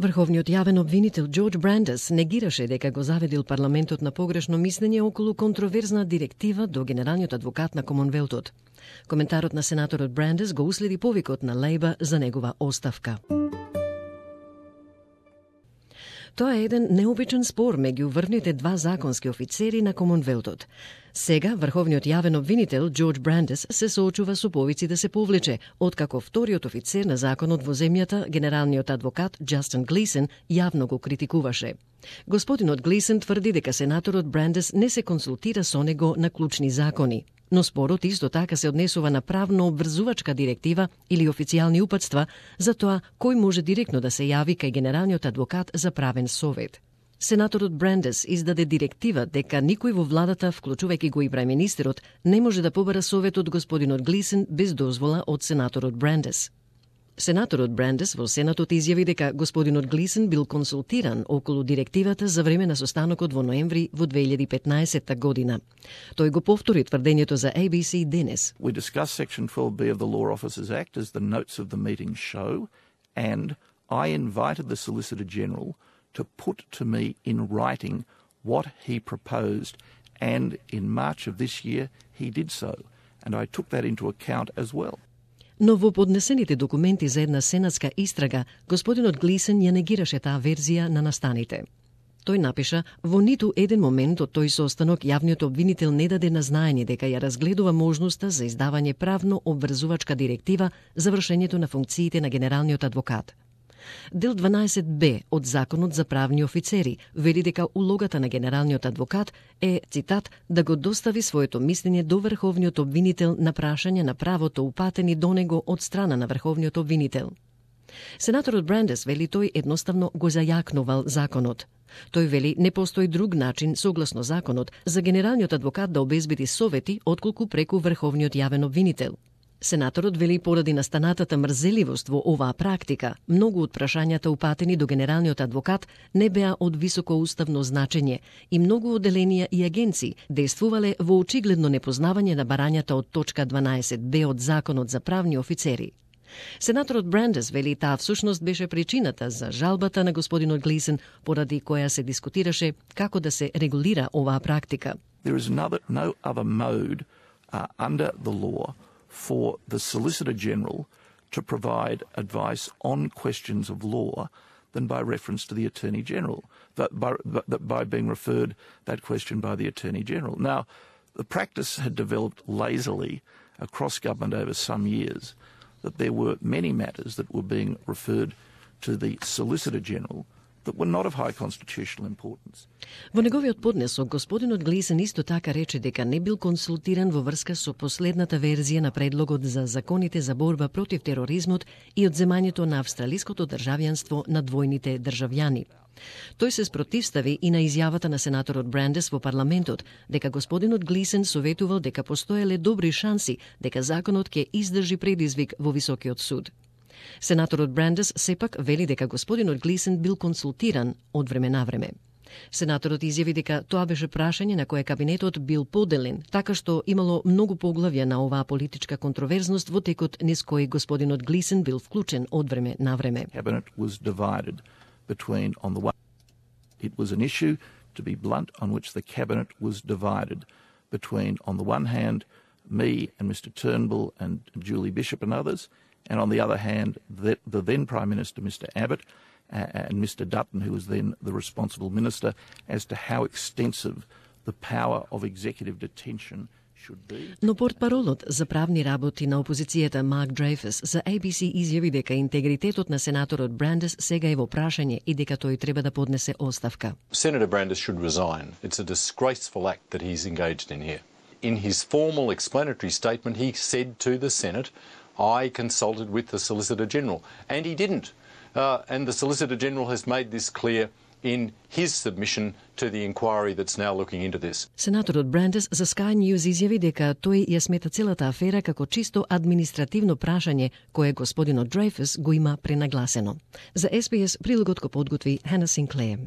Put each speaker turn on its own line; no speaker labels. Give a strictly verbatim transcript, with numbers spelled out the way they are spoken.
Врховниот јавен обвинител Џорџ Брандес негираше дека го заведил парламентот на погрешно мислење околу контроверзна директива до генералниот адвокат на Комонвелтот. Коментарот на сенаторот Брандес го уследи повикот на Лејба за негова оставка. Тоа е еден необичен спор меѓу врвните два законски офицери на Комонвелтот. Сега врховниот јавен обвинител Џорџ Брандес се соочува со повици да се повлече, откако вториот офицер на законот во земјата, генералниот адвокат Џастин Глисен, јавно го критикуваше. Господинот Глисен тврди дека сенаторот Брандес не се консултира со него на клучни закони, но спорот исто така се однесува на правно обврзувачка директива или официјални упатства за тоа кој може директно да се јави кај генералниот адвокат за правен совет. Сенаторот Брандес издаде директива дека никој во владата, вклучувајќи го и премиерministерот, не може да побара совет од господинот Глисен без дозвола од сенаторот Брандес. Сенаторот Брандес во Сенатот изјави дека господинот Глисен бил консултиран околу директивата за време на состанокот во ноември во две илјади и петнаесетта година. Тој го повтори тврдењето за A B C денес.
We discussed Section twelve B of the Law Officers Act as the notes of the meeting show, and I invited the Solicitor General to put to me in writing what he proposed, and in March of this year he did so, and I took that into account as well.
Но во поднесените документи за една сенатска истрага, господинот Глисен ја негираше таа верзија на настаните. Тој напиша, во ниту еден момент од тој состанок јавниот обвинител не даде на знаење дека ја разгледува можноста за издавање правно обврзувачка директива за вршењето на функциите на генералниот адвокат. Дел дванаесет Б од Законот за правни офицери вели дека улогата на генералниот адвокат е, цитат, да го достави своето мислење до врховниот обвинител на прашање на правото упатени до него од страна на врховниот обвинител. Сенаторот Брандес вели тој едноставно го зајакнувал законот. Тој вели не постои друг начин, согласно законот, за генералниот адвокат да обезбеди совети отколку преку врховниот јавен обвинител. Сенаторот вели поради настанатата мрзеливост во оваа практика, многу од прашањата упатени до генералниот адвокат не беа од високо уставно значење и многу одделенија и агенции действувале во очигледно непознавање на барањата од точка дванаесет Б од Законот за правни офицери. Сенаторот Брандес вели таа всушност беше причината за жалбата на господинот Глисен, поради која се дискутираше како да се регулира оваа практика.
There is another, no other mode uh, under the law for the Solicitor General to provide advice on questions of law than by reference to the Attorney General, that by, that by being referred that question by the Attorney General. Now, the practice had developed lazily across government over some years that there were many matters that were being referred to the Solicitor General that were not of high constitutional importance.
Во неговиот поднесок, господинот Глисен исто така рече дека не бил консултиран во врска со последната верзија на предлогот за законите за борба против тероризмот и одземањето на австралиското државјанство на двојните државјани. Тој се спротивстави и на изјавата на сенаторот Брандес во парламентот дека господинот Глисен советувал дека постоеле добри шанси дека законот ќе издржи предизвик во високиот суд. Сенаторот Брандес сепак вели дека господинот Глисен бил консултиран од време на време. Сенаторот изјави дека тоа беше прашање на кое кабинетот бил поделен, така што имало многу поглавја на оваа политичка контроверзност во текот низ кој господинот Глисен бил вклучен од време на време.
Cabinet was divided between on the one it was an issue, to be blunt, on which the cabinet was divided between on the one hand me and Mister Turnbull and Julie Bishop and others, and on the other hand, the, the then Prime Minister, Mister Abbott, uh, and Mister Dutton, who was then the responsible minister, as to how extensive the power of executive detention should be.
Но портпаролот за правни работи на опозицијата Марк Дрейфус за A B C изјави дека интегритетот на сенаторот Брандес сега е во прашање и дека тој треба да поднесе оставка.
Senator Brandis should resign. It's a disgraceful act that he's engaged in here. In his formal explanatory statement, he said to the Senate, I consulted with the Solicitor General, and he didn't. Uh, and the Solicitor General has made this clear in his submission to the inquiry that's now looking into this.
Сенаторот Брандес за Sky News изјави дека тој ја смета целата афера како чисто административно прашање кое господинот Дрейфус го има пренагласено. За S B S прилогот го подготви Хана Синклеер.